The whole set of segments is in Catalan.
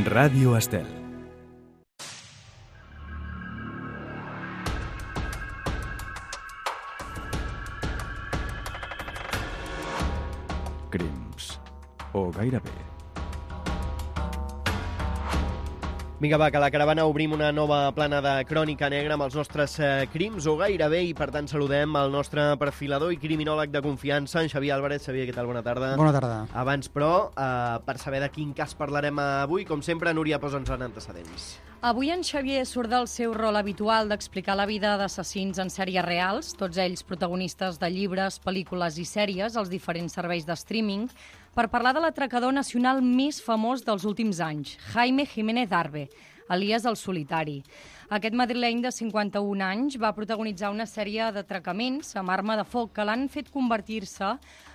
Ràdio Estel. Crims. O gairebé. Vinga, va, que a la caravana obrim una nova plana de crònica negra amb els nostres crims, o gairebé, i per tant saludem el nostre perfilador i criminòleg de confiança, en Xavier Álvarez. Xavier, què tal? Bona tarda. Bona tarda. Abans, però, per saber de quin cas parlarem avui, com sempre, Núria, posa'ns en antecedents. Avui en Xavier surt del seu rol habitual d'explicar la vida d'assassins en sèries reals, tots ells protagonistes de llibres, pel·lícules i sèries als diferents serveis de streaming, per parlar de l'atracador nacional més famós dels últims anys, Jaime Jiménez Arbe, alias El Solitari. Aquest madrileny de 51 anys va protagonitzar una sèrie d'atracaments amb arma de foc que l'han fet convertir-se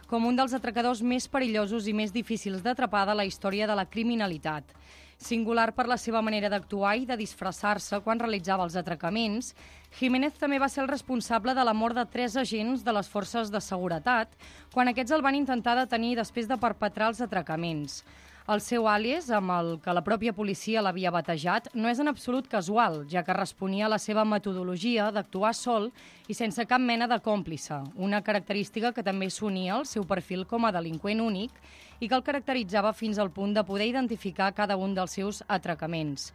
com un dels atracadors més perillosos i més difícils d'atrapar de la història de la criminalitat. Singular per la seva manera d'actuar i de disfressar-se quan realitzava els atracaments, Jiménez també va ser el responsable de la mort de 3 agents de les forces de seguretat quan aquests el van intentar detenir després de perpetrar els atracaments. El seu àlies, amb el que la pròpia policia l'havia batejat, no és en absolut casual, ja que responia a la seva metodologia d'actuar sol i sense cap mena de còmplice, una característica que també s'unia al seu perfil com a delinqüent únic i que el caracteritzava fins al punt de poder identificar cada un dels seus atracaments.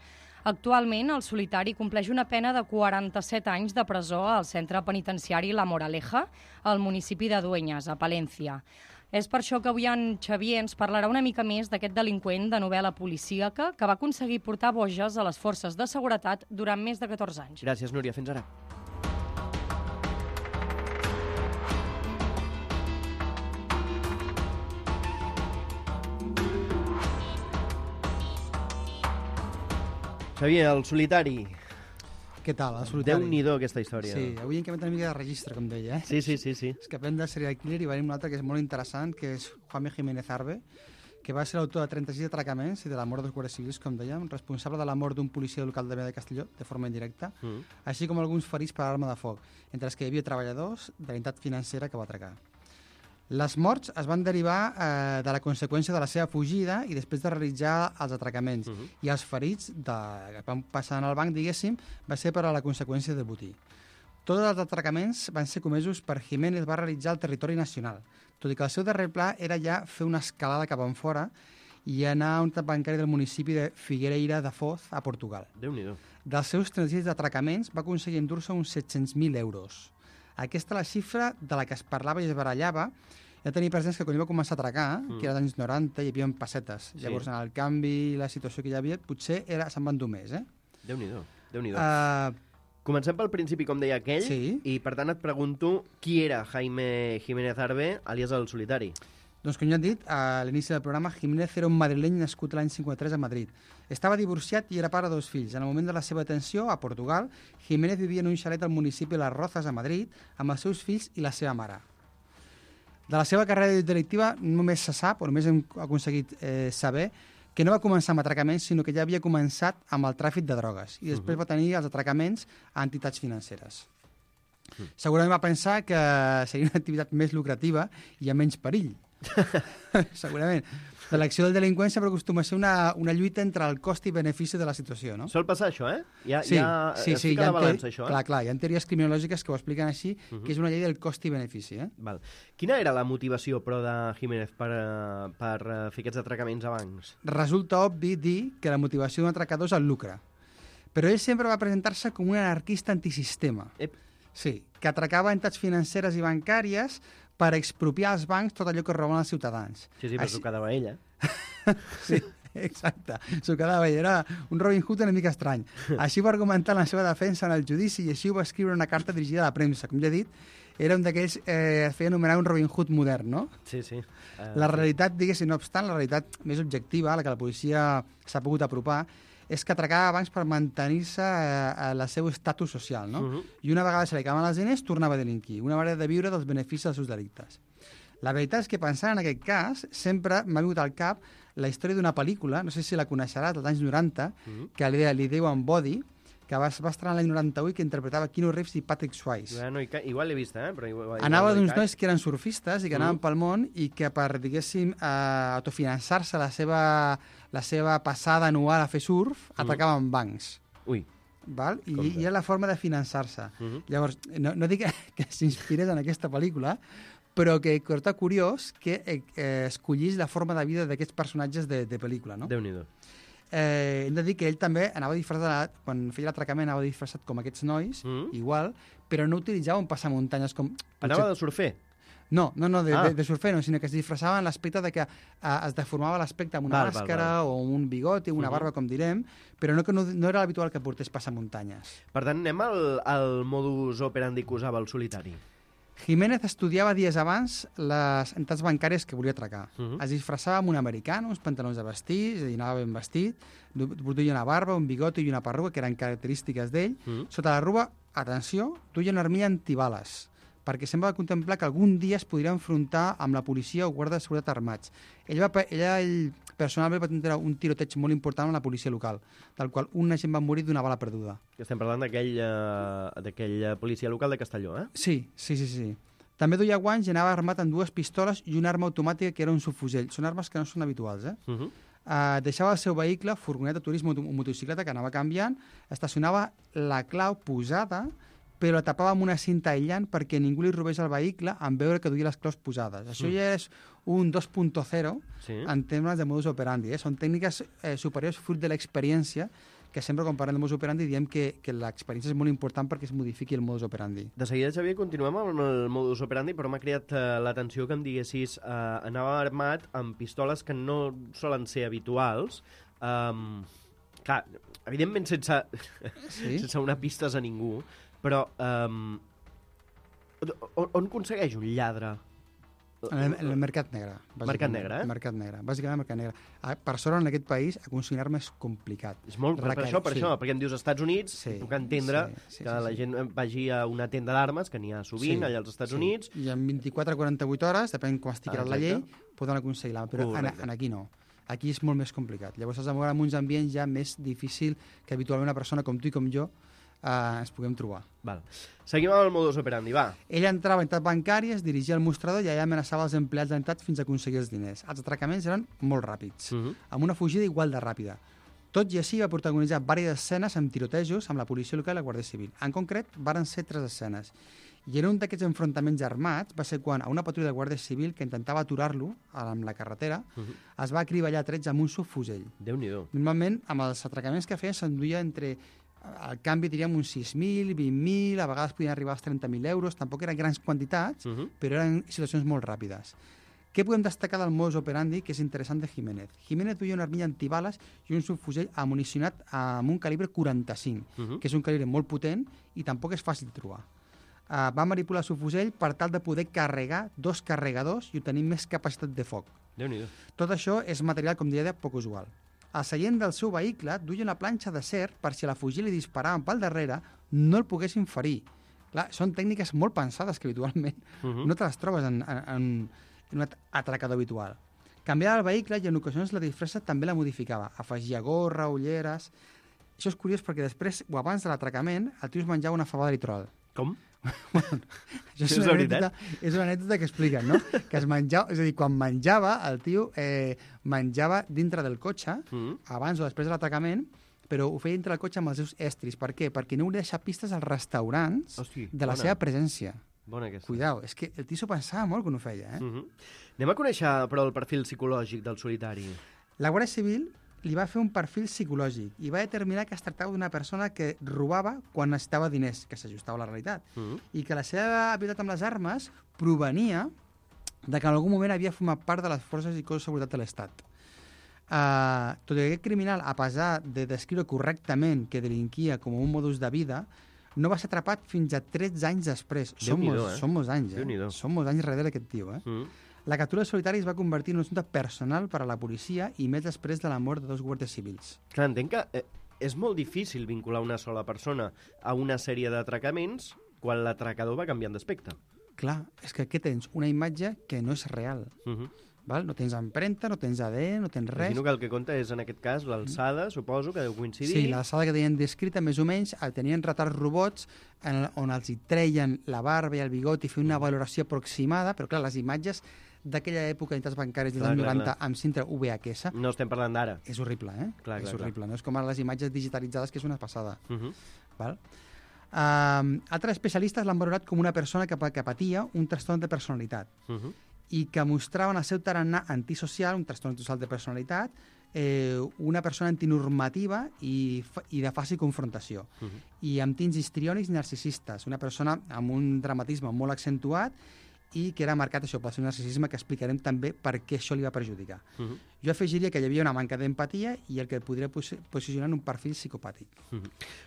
Actualment, el Solitari compleix una pena de 47 anys de presó al centre penitenciari La Moraleja, al municipi de Dueñas, a Palència. És per això que avui en Xavier ens parlarà una mica més d'aquest delinqüent de novel·la policíaca que va aconseguir portar boges a les forces de seguretat durant més de 14 anys. Gràcies, Núria. Fins ara. Xavier, El Solitari. Què tal, El Solitari? Déu-n'hi-do, aquesta història. Sí, avui hem canviat una mica de registre, com deia. Sí. Escapem de serial killer i venim un altre que és molt interessant, que és Jaime Jiménez Arbe, que va ser l'autor de 36 atracaments i de la mort dels guàrdies civils, com dèiem, responsable de la mort d'un policia local de Vila de Castelló, de forma indirecta, així com alguns ferits per arma de foc, entre els que hi havia treballadors de l'entitat financera que va atracar. Les morts es van derivar de la conseqüència de la seva fugida i després de realitzar els atracaments. I els ferits que van passar en el banc, diguéssim, va ser per a la conseqüència del botí. Tots els atracaments van ser comesos per Jiménez, va realitzar al territori nacional, tot i que el seu darrer pla era ja fer una escalada cap enfora i anar a un tap bancari del municipi de Figueira da Foz, a Portugal. Déu-n'hi-do. Dels seus 36 atracaments va aconseguir endur-se uns 700.000 euros. Aquesta és la xifra de la que es parlava i es barallava. Ja tenia presents que quan va començar a atracar, que era als anys 90, hi havia pessetes. Sí. Llavors, en el canvi i la situació que hi havia, potser se'n van dur més, Déu-n'hi-do. Comencem pel principi, com deia aquell, sí. I per tant et pregunto qui era Jaime Jiménez Arbe, alias El Solitari. Doncs com ja han dit, a l'inici del programa, Jiménez era un madrileny nascut l'any 53 a Madrid. Estava divorciat i era pare de 2 fills. En el moment de la seva detenció, a Portugal, Jiménez vivia en un xalet al municipi de Las Rozas, a Madrid, amb els seus fills i la seva mare. De la seva carrera delictiva només se sap, o només hem aconseguit saber, que no va començar amb atracaments, sinó que ja havia començat amb el tràfic de drogues i després va tenir els atracaments a entitats financeres. Segurament va pensar que seria una activitat més lucrativa i amb menys perill. Segurament. L'acció del delinqüent sempre acostuma a ser una lluita entre el cost i benefici de la situació, no? Sol passar això, Sí, es fica a la balança, això, Clar, hi ha teories criminològiques que ho expliquen així, que és una llei del cost i benefici, Val. Quina era la motivació, però, de Jiménez per fer aquests atracaments a bancs? Resulta obvi dir que la motivació d'un atracador és el lucre, però ell sempre va presentar-se com un anarquista antisistema. Sí, que atracava entitats financeres i bancàries per expropiar als bancs tot allò que roben els ciutadans. Sí, però s'ho quedava ell, Sí, exacte. S'ho quedava ell. Era un Robin Hood una mica estrany. Així va argumentar la seva defensa en el judici i així ho va escriure una carta dirigida a la premsa. Com ja he dit, era un d'aquells es feia anomenar un Robin Hood modern, no? Sí. La realitat, diguéssim, no obstant, la realitat més objectiva, a la que la policia s'ha pogut apropar, és que atracava bancs per mantenir-se el seu estatus social, no? I una vegada se li acabaven els diners, tornava a delinquir. Una manera de viure dels beneficis dels seus delictes. La veritat és que pensant en aquest cas, sempre m'ha vingut al cap la història d'una pel·lícula, no sé si la coneixeràs, dels anys 90, que li diuen Body, que va estrenar l'any 98, que interpretava Keanu Reeves i Patrick Swayze. Bueno, igual l'he vist, però igual Anava no hi d'uns caig. nois que eren surfistes i que anaven pel món i que per, diguéssim, autofinançar-se la seva passada anual a fer surf, atracaven bancs. Ui. Val? I Compte. era la forma de finançar-se. Llavors, no dic que s'inspirés en aquesta pel·lícula, però que està curiós que escollís la forma de vida d'aquests personatges de pel·lícula, no? Déu-n'hi-do. Hem de dir que ell també anava disfressat, quan feia l'atracament anava disfressat com aquests nois, igual, però no utilitzava un passamuntanyes com... Anava de surfer? No, de surfer no, sinó que es disfressava en l'aspecte de que es deformava l'aspecte amb una màscara o amb un bigoti, una barba, com direm, però no era l'habitual que portés passamuntanyes. Per tant, anem al modus operandi que usava el solitari. Jiménez estudiava dies abans les entitats bancàries que volia atracar. Es disfressava amb un americano, uns pantalons de vestir, és a dir, anava ben vestit, duia una barba, un bigoti i una perruga, que eren característiques d'ell. Sota la ruba, atenció, duia una armilla antibales, perquè sembla contemplar que algun dia es podria enfrontar amb la policia o guarda de seguretat armats. Ell personalment va tenir un tiroteig molt important amb la policia local, del qual un agent va morir d'una bala perduda. Estem parlant d'aquell policia local de Castelló, eh? Sí. També duia guants i anava armat amb 2 pistoles i una arma automàtica que era un subfusell. Són armes que no són habituals, eh? Deixava el seu vehicle, furgoneta, turisme o motocicleta, que anava canviant, estacionava la clau posada, però la tapava amb una cinta aïllant perquè ningú li robés el vehicle en veure que duia les claus posades. Això ja és un 2.0 en termes de modus operandi. Són tècniques superiors fruit de l'experiència, que sempre quan parlem de modus operandi diem que l'experiència és molt important perquè es modifiqui el modus operandi. De seguida, Xavier, continuem amb el modus operandi, però m'ha cridat l'atenció que em diguessis anava armat amb pistoles que no solen ser habituals. Clar, evidentment sense una pistes a ningú, però on aconsegueix un lladre? En el mercat negre. Mercat negre, eh? Mercat negre, bàsicament mercat negre. Per sort, en aquest país, aconseguir armes és complicat. És molt per això, perquè em dius Estats Units, puc entendre que la gent vagi a una tenda d'armes, que n'hi ha sovint allà als Estats Units. I en 24 o 48 hores, depèn com estigui la llei, poden aconseguir l'arma, però aquí no. Aquí és molt més complicat. Llavors has de moure en uns ambients ja més difícil que habitualment una persona com tu i com jo ens puguem trobar. Val. Seguim amb el modus operandi, va. Ell entrava a entitats bancàries, dirigia el mostrador i allà amenaçava els empleats d'entitats fins a aconseguir els diners. Els atracaments eren molt ràpids, amb una fugida igual de ràpida. Tot i així va protagonitzar diverses escenes amb tirotejos amb la policia local i la Guàrdia Civil. En concret, varen ser 3 escenes. I en un d'aquests enfrontaments armats va ser quan a una patrulla de Guàrdia Civil que intentava aturar-lo amb la carretera es va acriballar trets amb un subfusell. Déu-n'hi-do. Normalment, amb els atracaments que feia, s'enduia entre... Al canvi diríem uns 6.000, 20.000, a vegades podien arribar als 30.000 euros, tampoc eren grans quantitats, però eren situacions molt ràpides. Què podem destacar del modus operandi que és interessant de Jiménez? Jiménez duia una armilla antibales i un subfusell amunicionat amb un calibre 45, que és un calibre molt potent i tampoc és fàcil de trobar. Va manipular el subfusell per tal de poder carregar 2 carregadors i obtenir més capacitat de foc. Déu-n'hi-do. Tot això és material, com diria, poc usual. Al seient del seu vehicle duia una planxa d'acer per si a la fugir li disparaven pel darrere no el poguessin ferir. Clar, són tècniques molt pensades que habitualment no te les trobes en un atracador habitual. Canviava el vehicle i en ocasions la disfressa també la modificava. Afegia gorra, ulleres... Això és curiós perquè després o abans de l'atracament el tio es menjava una fava de litrol. Com? Bueno, això és una anècdota que expliquen, no? Que es menjava, és a dir, quan menjava, el tio menjava dintre del cotxe, abans o després de l'atracament, però ho feia dintre del cotxe amb els seus estris. Per què? Perquè no hauria deixat pistes als restaurants de la seva presència. Bona aquesta. Cuidao, és que el tio s'ho pensava molt quan ho feia, eh? Anem a conèixer, però, el perfil psicològic del solitari. La Guàrdia Civil li va fer un perfil psicològic i va determinar que es tractava d'una persona que robava quan necessitava diners, que s'ajustava a la realitat, i que la seva habilitat amb les armes provenia de que en algun moment havia format part de les forces i cossos de seguretat de l'Estat. Tot i que aquest criminal, a pesar de descriure correctament que delinquia com un modus de vida, no va ser atrapat fins a 13 anys després. Són molts anys, Són molts anys darrere d'aquest tio, La captura de solitari es va convertir en un assumpte personal per a la policia i més després de la mort de 2 guàrdies civils. Clar, entenc que és molt difícil vincular una sola persona a una sèrie d'atracaments quan l'atracador va canviant d'aspecte. Clar, és que aquí tens una imatge que no és real. Val? No tens empremta, no tens ADN, no tens res. Imagino que el que compta és, en aquest cas, l'alçada, suposo, que deu coincidir. Sí, l'alçada que tenien descrita, més o menys, tenien retards robots on els hi treien la barba i el bigot i feien una valoració aproximada, però clar, les imatges d'aquella època d'entitats bancàries dels anys 90 amb cinta VHS... No estem parlant d'ara. És horrible, eh? Clar, és horrible. No és com ara les imatges digitalitzades, que és una passada. Val? Altres especialistes l'han valorat com una persona que patia un trastorn de personalitat i que mostrava en el seu tarannà antisocial, un trastorn antisocial de personalitat, una persona antinormativa i de fàcil confrontació. I amb tints histriònics i narcisistes. Una persona amb un dramatisme molt accentuat i que era marcat això pel seu narcisisme, que explicarem també per què això li va perjudicar. Jo afegiria que hi havia una manca d'empatia i el que podria posicionar en un perfil psicopàtic.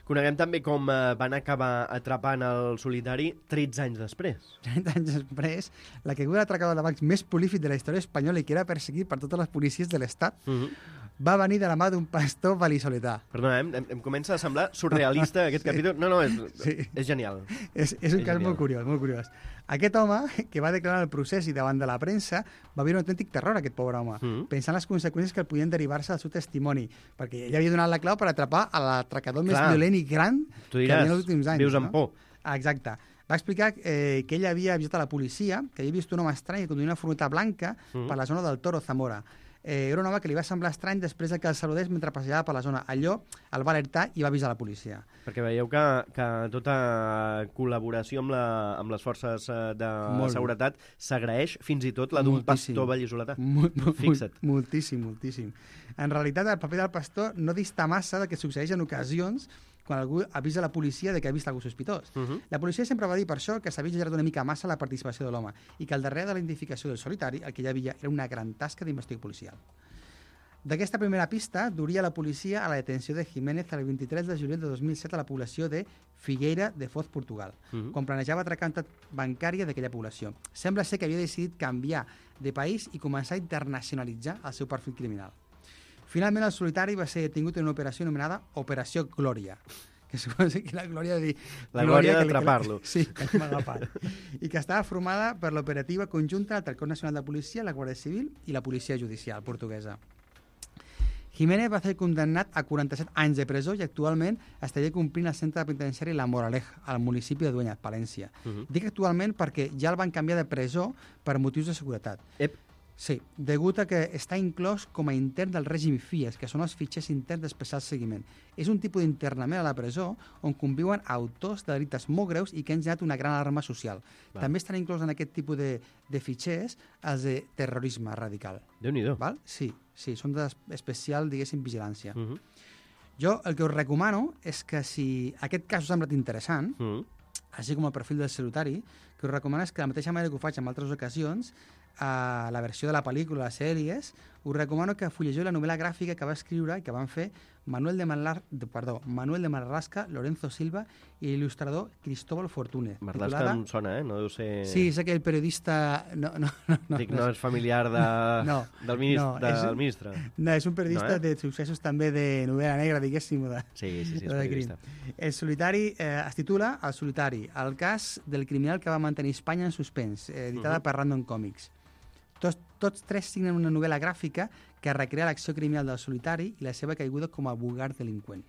Coneguem també com van acabar atrapant el solitari 13 anys després. 30 anys després, la caiguda d'atracador de bancs més prolífic de la història espanyola i que era perseguit per totes les policies de l'Estat va venir de la mà d'un pastor val·lisoletà. Perdona, em comença a semblar surrealista aquest capítol. No, és genial. És un cas molt curiós, molt curiós. Aquest home, que va declarar el procés i davant de la premsa, va viure un autèntic terror, aquest pobre home, pensant les conseqüències que podien derivar-se del seu testimoni, perquè ell havia donat la clau per atrapar a l'atracador més violent i gran que havia en els últims anys. Vius amb por. Exacte. Va explicar que ell havia avisat a la policia que havia vist un home estrany que conduïa una furgoneta blanca per la zona del Toro, Zamora. Era un home que li va semblar estrany després que el saludés mentre passejava per la zona. Allò el va alertar i va avisar la policia. Perquè veieu que tota col·laboració amb les forces de seguretat s'agraeix, fins i tot la d'un pastor val·lisoletà. Fixa't. Moltíssim. En realitat, el paper del pastor no dista massa del que succeeix en ocasions quan algú avisa la policia de que ha vist algú sospitós. La policia sempre va dir per això que s'havia exagerat una mica massa la participació de l'home i que al darrere de la identificació del solitari el que hi havia era una gran tasca d'investigació policial. D'aquesta primera pista duria la policia a la detenció de Jiménez el 23 de juliol de 2007 a la població de Figueira de Foz, Portugal, quan planejava atracar una entitat bancària d'aquella població. Sembla ser que havia decidit canviar de país i començar a internacionalitzar el seu perfil criminal. Finalment, el solitari va ser detingut en una operació anomenada Operació Glòria, que suposa que la glòria de dir... La glòria d'atrapar-lo. Sí, que m'ha agafat. I que estava formada per l'operativa conjunta entre el Cos Nacional de Policia, la Guàrdia Civil i la Policia Judicial portuguesa. Jiménez va ser condemnat a 47 anys de presó i actualment estaria complint al centre penitenciari La Moraleja, al municipi de Dueñas, Palència. Dic actualment perquè ja el van canviar de presó per motius de seguretat. Sí, degut a que està inclòs com a intern del règim FIES, que són els fitxers interns d'especial seguiment. És un tipus d'internament a la presó on conviuen autors de delictes molt greus i que han generat una gran alarma social. També estan inclòs en aquest tipus de fitxers els de terrorisme radical. Déu-n'hi-do. Sí, són d'especial, diguéssim, vigilància. Jo el que us recomano és que si aquest cas us ha semblat interessant, així com el perfil del solitari, que us recomano és que de la mateixa manera que ho faig en altres ocasions, a la versió de la pel·lícula, les sèries, us recomano que fullegiu la novel·la gràfica que va escriure i que van fer Manuel de Marlaska, Lorenzo Silva i l'il·lustrador Cristóbal Fortúnez. Marlaska em sona, no deu ser... Sí, és aquell periodista... No és familiar del ministre. No, és un periodista de successos també de novel·la negra, diguéssim. Sí, és periodista. El solitari es titula El solitari, el cas del criminal que va mantenir Espanya en suspens, editada per Random Comics. Tots tres signen una novel·la gràfica que recrea l'acció criminal del solitari i la seva caiguda com a vulgar delinqüent.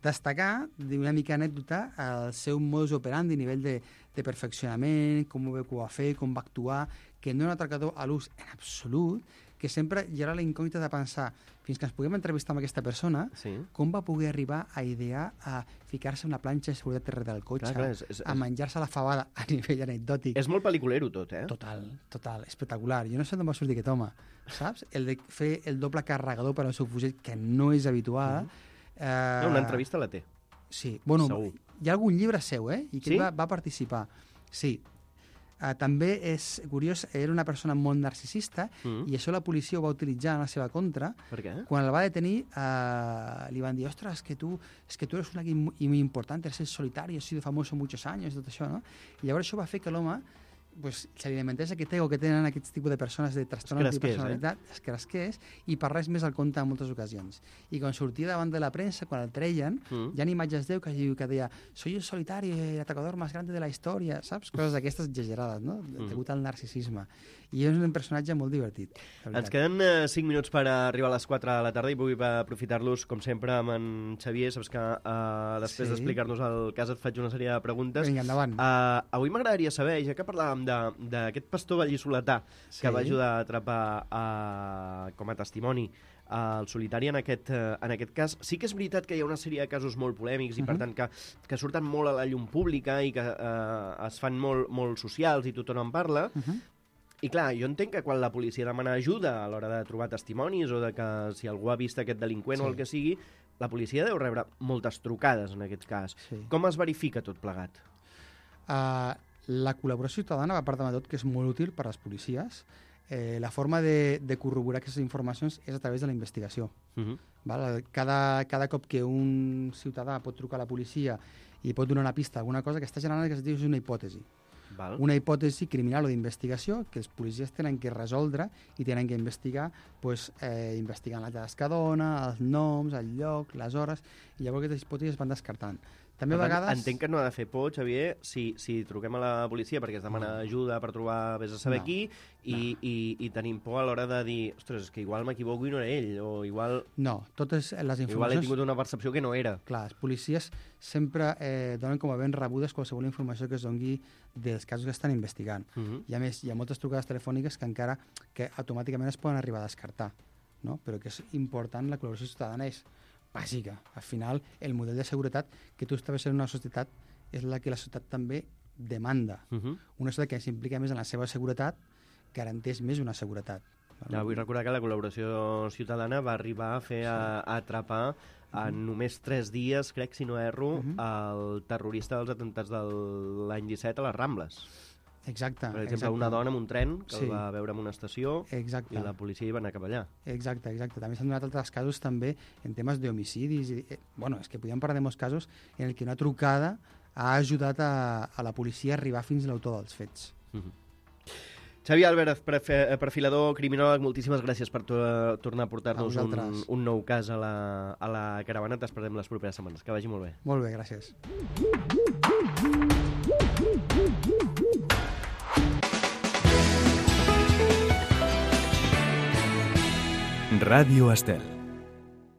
Destacar, d'una mica anècdota, el seu modus operandi, nivell de perfeccionament, com ho va fer, com va actuar, que no era un atracador a l'ús en absolut, que sempre hi haurà la incògnita de pensar, fins que ens puguem entrevistar amb aquesta persona, com va poder arribar a idear a ficar-se una planxa de seguretat darrere del cotxe, a menjar-se la fabada a nivell anecdòtic. És molt pel·liculero tot, Total, espectacular. Jo no sé d'on va sortir aquest home, saps? El de fer el doble carregador per al seu fusell, que no és habitual. Una entrevista la té. Sí, bueno, hi ha algun llibre seu, i que va participar. Sí. També és curiós, era una persona molt narcisista i això la policia ho va utilitzar en la seva contra. Per què? Quan el va detenir li van dir, ostres, es que tú eres un aquí muy importante, eres el solitario, has sido famoso muchos años, tot això, no? I llavors això va fer que l'home pues, l'alimentació que té o que tenen aquests tipus de persones de trastorns de personalitat, escrasquers, i per res més el compte en moltes ocasions. I quan sortia davant de la premsa, quan el treien, hi ha imatges d'ell que deia «Soy el solitari, el atacador más grande de la història», saps? Coses d'aquestes exagerades, no? Degut al narcisisme. I és un personatge molt divertit. Ens queden 5 minuts per arribar a les 4 de la tarda i vull aprofitar-los, com sempre, amb en Xavier. Saps que després d'explicar-nos el cas et faig una sèrie de preguntes. Vinga, endavant. Avui m'agradaria saber, ja que parlàvem d'aquest pastor vallisoletà que va ajudar a atrapar com a testimoni el solitari en aquest cas, sí que és veritat que hi ha una sèrie de casos molt polèmics i per tant que surten molt a la llum pública i que es fan molt socials i tothom en parla. I clar, jo entenc que quan la policia demana ajuda a l'hora de trobar testimonis o de que si algú ha vist aquest delinqüent o el que sigui, la policia deu rebre moltes trucades en aquest cas. Com es verifica tot plegat? La col·laboració ciutadana va part de tot, que és molt útil per a les policies. La forma de corroborar aquestes informacions és a través de la investigació. Cada cop que un ciutadà pot trucar a la policia i pot donar una pista alguna cosa, que està generant el que es diu una hipòtesi. Una hipòtesi criminal o d'investigació que els policies tenen que resoldre i tenen que investigar, investigant les dades que dona, els noms, el lloc, les hores, i llavors aquestes hipòtesis es van descartant. També a vegades... Entenc que no ha de fer por, Xavier, si truquem a la policia perquè es demana ajuda per trobar vés a saber qui i tenim por a l'hora de dir ostres, és que igual m'equivoco i no era ell, o igual... No, totes les informacions... Igual he tingut una percepció que no era. Clar, els policies sempre donen com a ben rebudes qualsevol informació que es doni dels casos que estan investigant. I a més, hi ha moltes trucades telefòniques que automàticament es poden arribar a descartar, no? Però que és important, la col·laboració ciutadana és bàsica. Al final, el model de seguretat que tu estaves en una societat és la que la societat també demanda. Una societat que s'implica més en la seva seguretat garanteix més una seguretat. Vull recordar que la col·laboració ciutadana va arribar a atrapar en només 3 dies, crec, si no erro, el terrorista dels atemptats de l'any 17 a les Rambles. Exacte. Per exemple, una dona amb un tren que el va veure en una estació i la policia hi va anar cap allà. Exacte. També s'han donat altres casos també en temes d'homicidis. És que podíem parlar de molts casos en el que una trucada ha ajudat a la policia a arribar fins a l'autor dels fets. Xavier Álvarez, perfilador, criminòleg, moltíssimes gràcies per tornar a portar-nos un nou cas a la caravana. T'esperem les properes setmanes. Que vagi molt bé. Molt bé, gràcies. Radio Estel.